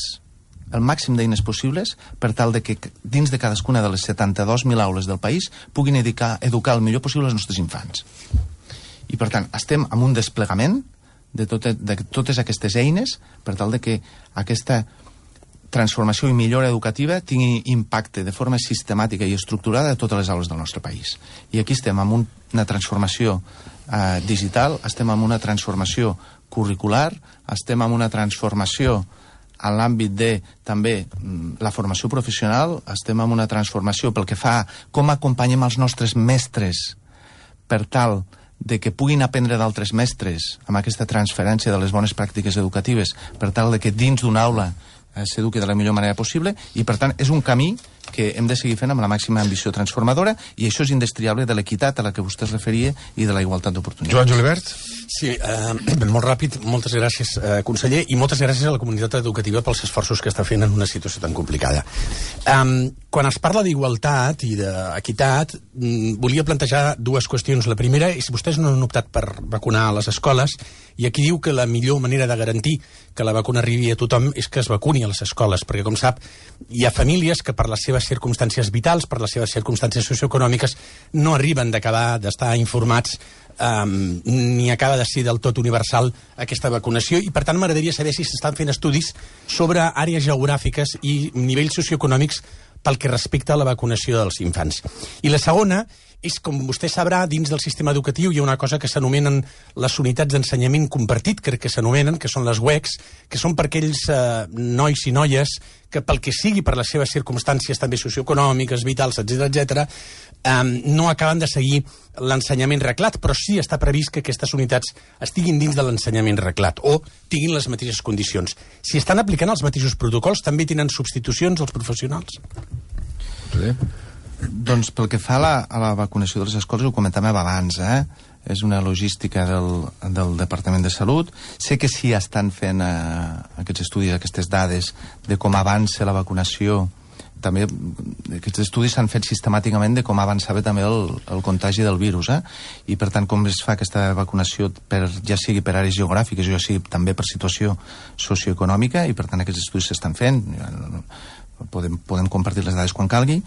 el màxim d'eines possibles per tal de que dins de cadascuna de les 72.000 aules del país puguin educar el millor possible els nostres infants. I, per tant, estem amb un desplegament de totes aquestes eines per tal de que aquesta transformació i millora educativa tingui impacte de forma sistemàtica i estructurada a totes les aules del nostre país. I aquí estem amb una transformació digital, estem amb una transformació curricular, estem amb una transformació en l'àmbit de també la formació professional, estem amb una transformació pel que fa a com acompanyem els nostres mestres per tal de que puguin aprendre d'altres mestres amb aquesta transferència de les bones pràctiques educatives per tal de que dins d'una aula s'eduqui de la millor manera possible i, per tant, és un camí que hem de seguir fent amb la màxima ambició transformadora i això és indestriable de l'equitat a la que vostè es referia i de la igualtat d'oportunitats. Joan Julivert? Sí, molt ràpid, moltes gràcies, conseller, i moltes gràcies a la comunitat educativa pels esforços que està fent en una situació tan complicada. Quan es parla d'igualtat i d'equitat, volia plantejar dues qüestions. La primera és, vostès no han optat per vacunar a les escoles, i aquí diu que la millor manera de garantir que la vacuna arribi a tothom és que es vacuni a les escoles, perquè, com sap, hi ha famílies que per les seves circumstàncies vitals, per les seves circumstàncies socioeconòmiques, no arriben d'estar informats ni acaba de ser del tot universal aquesta vacunació, i per tant m'agradaria saber si s'estan fent estudis sobre àrees geogràfiques i nivells socioeconòmics pel que respecta a la vacunació dels infants. I la segona és, com vostè sabrà, dins del sistema educatiu hi ha una cosa que s'anomenen les unitats d'ensenyament compartit, crec que s'anomenen, que són les UECs, que són per aquells nois i noies que pel que sigui, per les seves circumstàncies també socioeconòmiques, vitals, etc., no acaben de seguir l'ensenyament reglat, però sí està previst que aquestes unitats estiguin dins de l'ensenyament reglat o tinguin les mateixes condicions. Si estan aplicant els mateixos protocols, també tenen substitucions els professionals? Sí. Doncs pel que fa a la vacunació de les escoles, ho comentàvem abans, és una logística del Departament de Salut. Sé que sí estan fent aquests estudis, aquestes dades de com avança la vacunació. També aquests estudis s'han fet sistemàticament de com avançava també el contagi del virus, i per tant com es fa aquesta vacunació ja sigui per àrees geogràfiques o ja sigui també per situació socioeconòmica, i per tant aquests estudis s'estan fent. Podem compartir les dades quan calgui.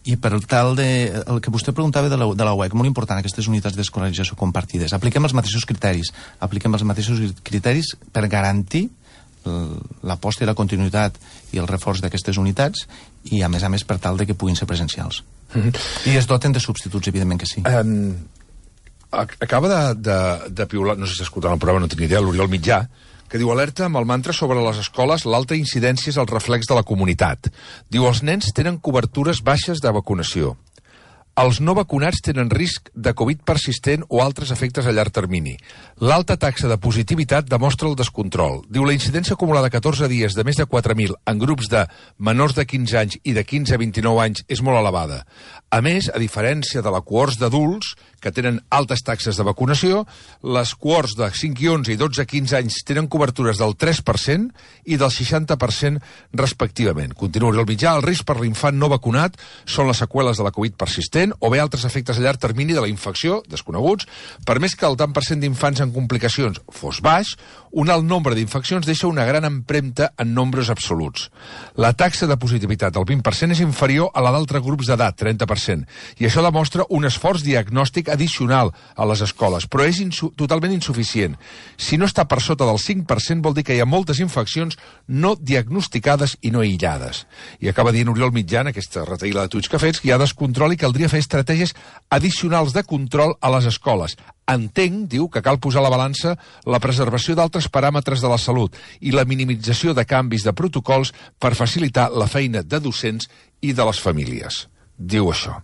I per tal el que vostè preguntava de la UEC, molt important, aquestes unitats d'escolarització compartides. Apliquem els mateixos criteris per garantir l'aposta i la continuïtat i el reforç d'aquestes unitats i, a més, per tal de que puguin ser presencials. I es doten de substituts, evidentment que sí. Acaba de piular, no sé si escoltant el programa, no tinc idea, l'Oriol Mitjà, que diu: alerta amb el mantra sobre les escoles, l'alta incidència és el reflex de la comunitat. Diu: els nens tenen cobertures baixes de vacunació. Els no vacunats tenen risc de Covid persistent o altres efectes a llarg termini. L'alta taxa de positivitat demostra el descontrol. Diu: la incidència acumulada 14 dies de més de 4.000 en grups de menors de 15 anys i de 15 a 29 anys és molt elevada. A més, a diferència de la cohorts d'adults, que tenen altes taxes de vacunació, les cohorts de 5 i 11 i 12 a 15 anys tenen cobertures del 3% i del 60% respectivament. Continua el mitjà: el risc per l'infant no vacunat són les seqüeles de la Covid persistent o bé altres efectes a llarg termini de la infecció, desconeguts. Per més que el tant per cent d'infants en complicacions fos baix, un alt nombre d'infeccions deixa una gran empremta en nombres absoluts. La taxa de positivitat del 20% és inferior a la d'altres grups d'edat, 30%, i això demostra un esforç diagnòstic addicional a les escoles, però és totalment insuficient. Si no està per sota del 5%, vol dir que hi ha moltes infeccions no diagnosticades i no aïllades. I acaba dient Oriol Mitjà, en aquesta retaïla de tuits que fets, que hi ha descontrol i caldria fer estratègies addicionals de control a les escoles. Entenc, diu, que cal posar a la balança la preservació d'altres paràmetres de la salut i la minimització de canvis de protocols per facilitar la feina de docents i de les famílies. Diu això.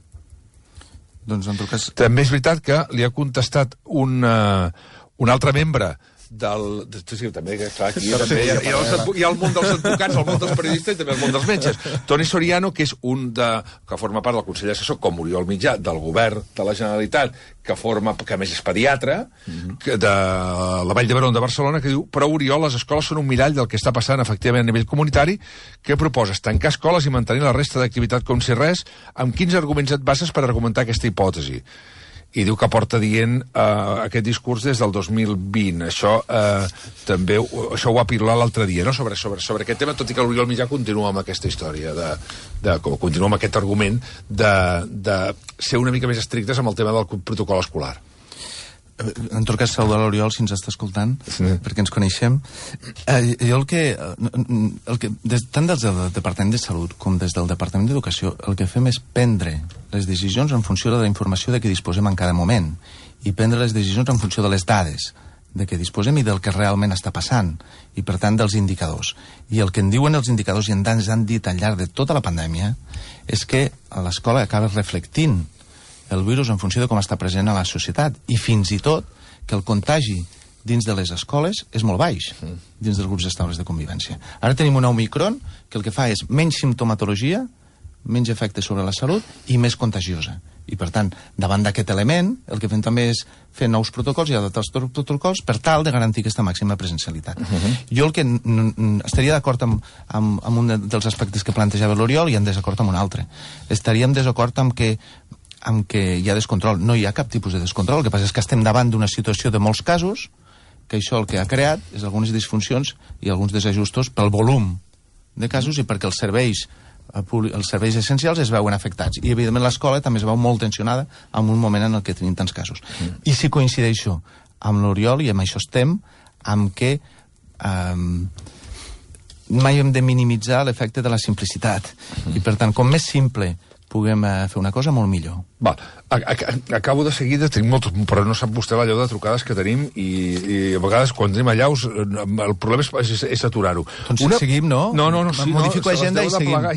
Doncs, en tot cas... També és veritat que li ha contestat un altre membre del... Sí, també, clar, aquí també hi ha el món dels advocats, el món dels periodistes i també el món dels metges. Toni Soriano, que és que forma part del Consell Assessor, com Oriol Mitjà, del govern de la Generalitat, que a més és pediatre, de la Vall d'Hebron de Barcelona, que diu: però Oriol, les escoles són un mirall del que està passant efectivament a nivell comunitari. Què proposes? Tancar escoles i mantenir la resta d'activitat com si res? Amb quins arguments et bases per argumentar aquesta hipòtesi? i diu que porta dient aquest discurs des del 2020. Això també ho va piular l'altre dia, no? sobre aquest tema, tot i que l'Oriol Mitjà continua amb aquesta història, continua amb aquest argument de ser una mica més estrictes amb el tema del protocol escolar. En tot cas, saludar l'Oriol, si ens està escoltant, perquè ens coneixem. Jo tant des del Departament de Salut com des del Departament d'Educació, el que fem és prendre les decisions en funció de la informació de què disposem en cada moment i prendre les decisions en funció de les dades de què disposem i del que realment està passant, i per tant dels indicadors. I el que en diuen els indicadors, i ens han dit al llarg de tota la pandèmia, és que a l'escola acaba reflectint el virus en funció de com està present a la societat, i fins i tot que el contagi dins de les escoles és molt baix, dins dels grups estables de convivència. Ara tenim una Omicron que el que fa és menys simptomatologia, menys efecte sobre la salut i més contagiosa. I, per tant, davant d'aquest element, el que fem també és fer nous protocols i adaptar els protocols per tal de garantir aquesta màxima presencialitat. Jo el que estaria d'acord amb un dels aspectes que plantejava l'Oriol i en desacord amb un altre. Estaríem desacord amb que hi ha descontrol. No hi ha cap tipus de descontrol. El que passa és que estem davant d'una situació de molts casos, que això el que ha creat és algunes disfuncions i alguns desajustos pel volum de casos i perquè els serveis essencials es veuen afectats. I, evidentment, l'escola també es veu molt tensionada en un moment en el que tenim tants casos. I si coincideixo amb l'Oriol, i amb això estem, amb que mai hem de minimitzar l'efecte de la simplicitat. I, per tant, com més simple puguem fer una cosa, molt millor. Val. Acabo de seguida, tenim molt, però no sap vostè l'allò de trucades que tenim i a vegades quan tenim allà el problema és aturar-ho. Doncs seguim, no? No. Modifico agenda i seguim. No,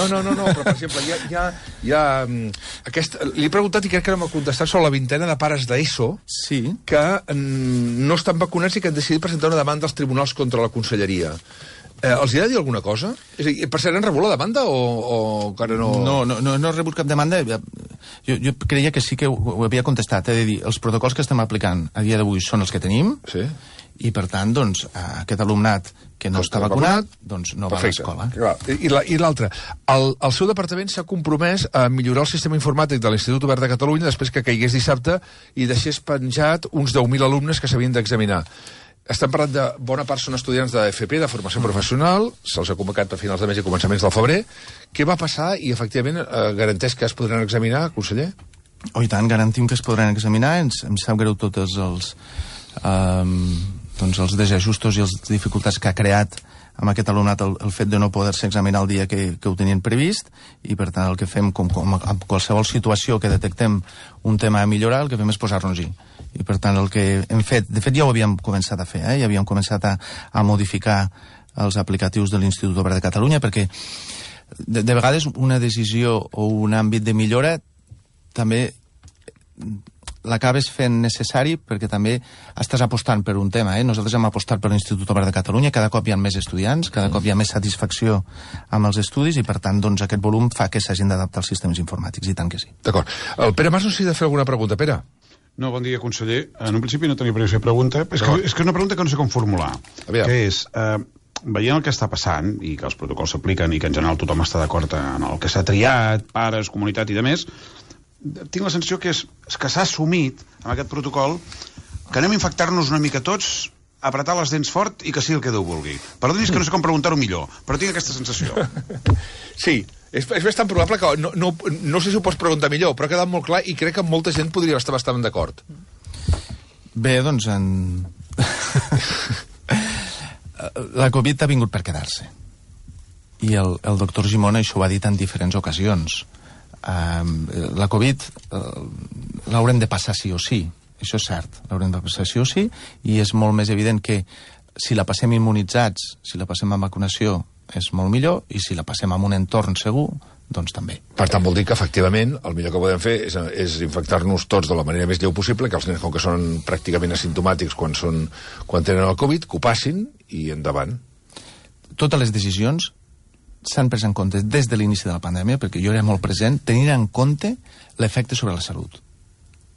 però per exemple, hi ha li he preguntat i crec que no m'ha contestat sobre la vintena de pares d'ESO que no estan vacunats i que han decidit presentar una demanda als tribunals contra la conselleria. Els hi ha de dir alguna cosa? És a dir, per cert, han rebut la demanda o encara no... No he rebut cap demanda. Jo creia que sí que ho havia contestat. He de dir, els protocols que estem aplicant a dia d'avui són els que tenim i, per tant, doncs, aquest alumnat que no està vacunat, doncs no va a l'escola. I l'altre, el seu departament s'ha compromès a millorar el sistema informàtic de l'Institut Obert de Catalunya després que caigués dissabte i deixés penjat uns 10.000 alumnes que s'havien d'examinar. Estem parlant de bona part són estudiants d'FP, de formació professional, se'ls ha convocat a finals de mes i començaments del febrer. Què va passar i, efectivament, garanteix que es podran examinar, conseller? I tant, garantim que es podran examinar. Em sap greu tots els desajustos i les dificultats que ha creat amb aquest alumnat el fet de no poder-se examinar el dia que ho tenien previst, i per tant el que fem, com en qualsevol situació que detectem un tema a millorar, el que fem és posar-nos-hi. I per tant el que hem fet, de fet ja ho havíem començat a fer, ja havíem començat a modificar els aplicatius de l'Institut Obert de Catalunya, perquè de vegades una decisió o un àmbit de millora també l'acabes fent necessari perquè també estàs apostant per un tema. Nosaltres hem apostat per l'Institut Obert de Catalunya, cada cop hi ha més estudiants, cada cop hi ha més satisfacció amb els estudis i, per tant, doncs, aquest volum fa que s'hagin d'adaptar els sistemes informàtics, i tant que sí. D'acord. El Pere Mas no s'hi ha de fer alguna pregunta. Pere? No, bon dia, conseller. En un principi no tenia previsió de pregunta. És que una pregunta que no sé com formular. Que és, veient el que està passant, i que els protocols s'apliquen i que en general tothom està d'acord en el que s'ha triat, pares, comunitat i demés, tinc la sensació que és que s'ha assumit amb aquest protocol que anem a infectar-nos una mica tots, apretar les dents fort i que sigui el que Déu vulgui. Perdoni's que no sé com preguntar-ho millor, però tinc aquesta sensació. Sí, és bastant probable que no sé si ho pots preguntar millor, però ha quedat molt clar i crec que molta gent podria estar bastant d'acord. Bé, doncs la Covid ha vingut per quedar-se. I el doctor Gimón això ho ha dit en diferents ocasions. La Covid l'haurem de passar sí o sí, això és cert, l'haurem de passar sí o sí, i és molt més evident que si la passem immunitzats, si la passem amb vacunació, és molt millor, i si la passem amb un entorn segur, doncs també. Per tant, vol dir que, efectivament, el millor que podem fer és infectar-nos tots de la manera més lleu possible, que els nens, com que són pràcticament asimptomàtics quan tenen el Covid, que ho passin i endavant. Totes les decisions s'han pres en compte des de l'inici de la pandèmia, perquè jo era molt present, tenint en compte l'efecte sobre la salut.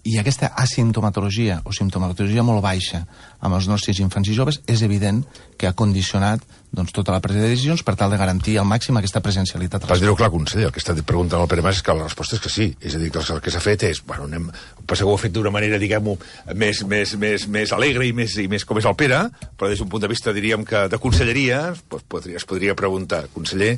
i aquesta asimptomatologia o simptomatologia molt baixa amb els nostres infants i joves és evident que ha condicionat doncs, tota la presa de decisions per tal de garantir al màxim aquesta presencialitat. Per dir-ho clar, conseller, el que està preguntant el Pere Mas és que la resposta és que sí. És a dir, que el que s'ha fet és... Bueno, ho ha fet d'una manera, diguem-ho, més alegre i més com és el Pere, però des d'un punt de vista, diríem, que de conselleria, es podria preguntar, conseller,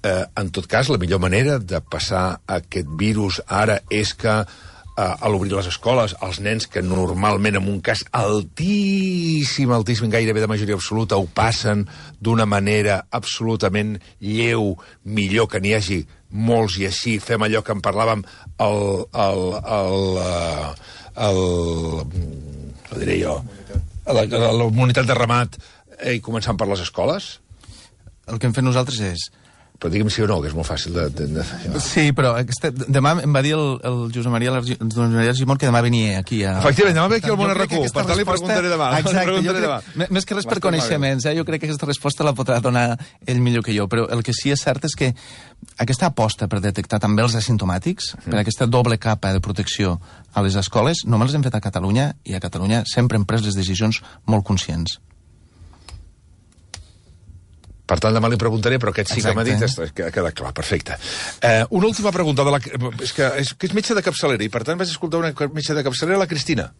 en tot cas, la millor manera de passar aquest virus ara és que a l'obrir les escoles, els nens que normalment en un cas altíssim, gairebé de majoria absoluta, ho passen d'una manera absolutament lleu, millor que n'hi hagi molts i així fem allò que en parlàvem la comunitat de ramat i començant per les escoles? El que hem fet nosaltres és... Però digue'm sí o no, que és molt fàcil de... Sí, però demà em va dir el Josep Maria Argimon que demà venia aquí a... Efectivament, demà ve aquí al Món RQ, per tant li preguntaré demà. Exacte, més que res per coneixements, jo crec que aquesta resposta la podrà donar ell millor que jo, però el que sí és cert és que aquesta aposta per detectar també els asimptomàtics, per aquesta doble capa de protecció a les escoles, només les hem fet a Catalunya, i a Catalunya sempre hem pres les decisions molt conscients. Per tant, demà li preguntaré, però aquest sí que m'ha dit que ha quedat clar, perfecte. Una última pregunta, és que és metge de capçalera, i per tant vaig escoltar una metge de capçalera, la Cristina.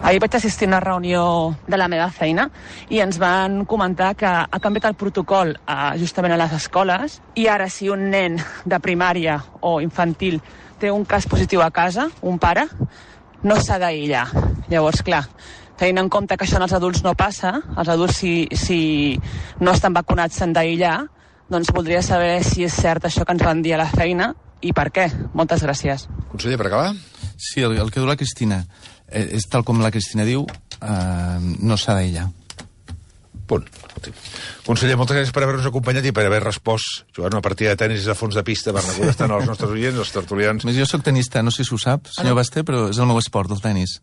Ahir vaig assistir a una reunió de la meva feina i ens van comentar que ha canviat el protocol justament a les escoles i ara si un nen de primària o infantil té un cas positiu a casa, un pare, no s'ha d'aïllar. Llavors, clar, tenint en compte que això en els adults no passa, els adults si no estan vacunats s'han d'aïllar, doncs voldria saber si és cert això que ens van dir a la feina i per què. Moltes gràcies. Conseller, per acabar? Sí, el que diu la Cristina és tal com la Cristina diu, no s'ha d'aïllar. Punt. Conseller, moltes gràcies per haver-nos acompanyat i per haver respost jugant una partida de tenis a fons de pista per estan els nostres oients, els tertulians. Jo soc tenista, no sé si ho sap, senyor Basté, però és el meu esport, el tenis.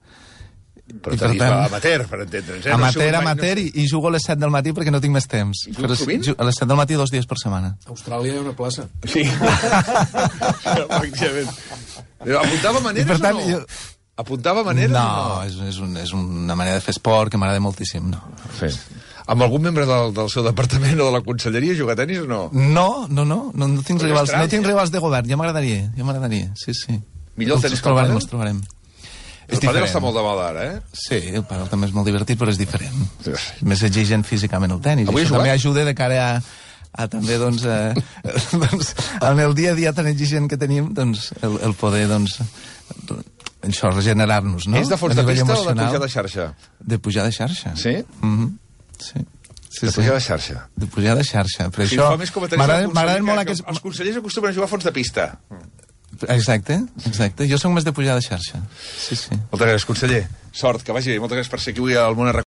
Però tenis amateur, per entendre'ns. Amateur, i jugo a les 7 del matí perquè no tinc més temps. Però a les 7 del matí 2 dies per setmana. A Austràlia hi ha una plaça. Sí. Efectivament. Apuntava maneres o no? Apuntava maneres o no? No, és una manera de fer esport que m'agrada moltíssim, no. Amb algun membre del seu departament o de la conselleria jugar a tenis o no? No tinc rivals de govern, ja m'agradaria, sí. Millor el tenis que el pàdel? Els trobarem. El pàdel està molt de moda ara, Sí, el pàdel també és molt divertit, però és diferent. Més exigent físicament el tenis. Avui això també ajuda de cara a també, doncs, en el dia a dia tan exigent que tenim, doncs, el poder, doncs, això, regenerar-nos, no? És de fons de pista o de pujar de xarxa? De pujar de xarxa. Sí? Sí. De pujar de xarxa. De pujar de xarxa. Per això m'agraden molt aquests... Els consellers acostumen a jugar a fons de pista. Exacte. Jo soc més de pujar de xarxa. Sí. Moltes gràcies, conseller. Sort, que vagi bé. Moltes gràcies per ser aquí avui al Món RQ.